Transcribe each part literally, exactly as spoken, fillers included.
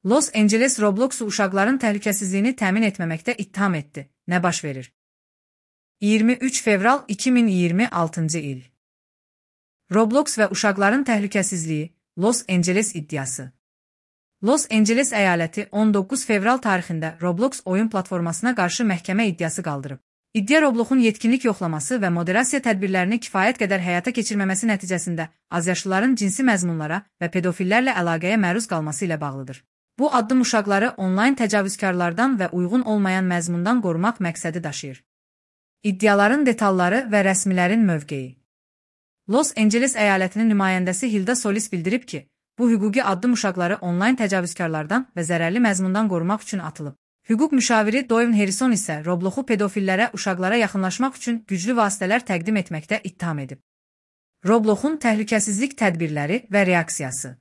Los Angeles Roblox'u uşaqların təhlükəsizliyini təmin etməməkdə ittiham etdi. Nə baş verir? iyirmi üç fevral iki min iyirmi altıncı il. Roblox və uşaqların təhlükəsizliyi, Los Angeles iddiası. Los Angeles əyaləti on doqquz fevral tarixində Roblox oyun platformasına qarşı məhkəmə iddiası qaldırıb. İddia Robloxun yetkinlik yoxlaması və moderasiya tədbirlərini kifayət qədər həyata keçirməməsi nəticəsində azyaşlıların cinsi məzmunlara və pedofillərlə əlaqəyə məruz qalması ilə bağlıdır. Bu addım uşaqları onlayn təcavüzkarlardan və uyğun olmayan məzmundan qorumaq məqsədi daşıyır. İddiaların detalları və rəsmilərin mövqeyi. Los Angeles əyalətinin nümayəndəsi Hilda Solis bildirib ki, bu hüquqi addım uşaqları onlayn təcavüzkarlardan və zərərli məzmundan qorumaq üçün atılıb. Hüquq müşaviri Doyne Harrison isə Robloxu pedofillərə uşaqlara yaxınlaşmaq üçün güclü vasitələr təqdim etməkdə ittiham edib. Robloxun təhlükəsizlik tədbirləri və reaksiyası.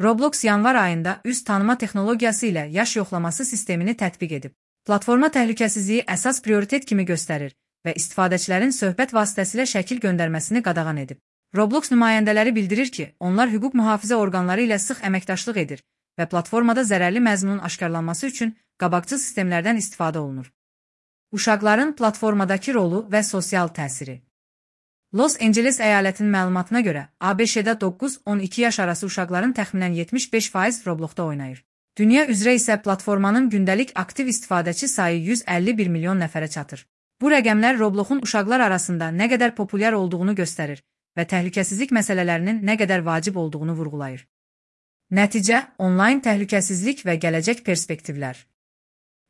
Roblox yanvar ayında üz tanıma texnologiyası ilə yaş yoxlaması sistemini tətbiq edib. Platforma təhlükəsizliyi əsas prioritet kimi göstərir və istifadəçilərin söhbət vasitəsilə şəkil göndərməsini qadağan edib. Roblox nümayəndələri bildirir ki, onlar hüquq mühafizə orqanları ilə sıx əməkdaşlıq edir və platformada zərərli məzmunun aşkarlanması üçün qabaqcıl sistemlərdən istifadə olunur. Uşaqların platformadakı rolu və sosial təsiri. Los Angeles əyalətinin məlumatına görə, A B Ş-də doqquz on iki yaş arası uşaqların təxminən yetmiş beş faiz Robloxda oynayır. Dünya üzrə isə platformanın gündəlik aktiv istifadəçi sayı yüz əlli bir milyon nəfərə çatır. Bu rəqəmlər Robloxun uşaqlar arasında nə qədər populyar olduğunu göstərir və təhlükəsizlik məsələlərinin nə qədər vacib olduğunu vurğulayır. Nəticə, onlayn təhlükəsizlik və gələcək perspektivlər.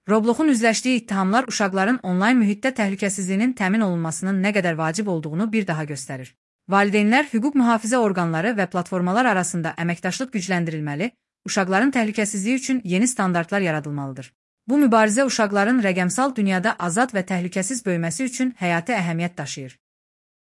Robloxun üzləşdiyi ittihamlar uşaqların onlayn mühitdə təhlükəsizliyinin təmin olunmasının nə qədər vacib olduğunu bir daha göstərir. Valideynlər, hüquq mühafizə orqanları və platformalar arasında əməkdaşlıq gücləndirilməli, uşaqların təhlükəsizliyi üçün yeni standartlar yaradılmalıdır. Bu mübarizə uşaqların rəqəmsal dünyada azad və təhlükəsiz böyüməsi üçün həyati əhəmiyyət daşıyır.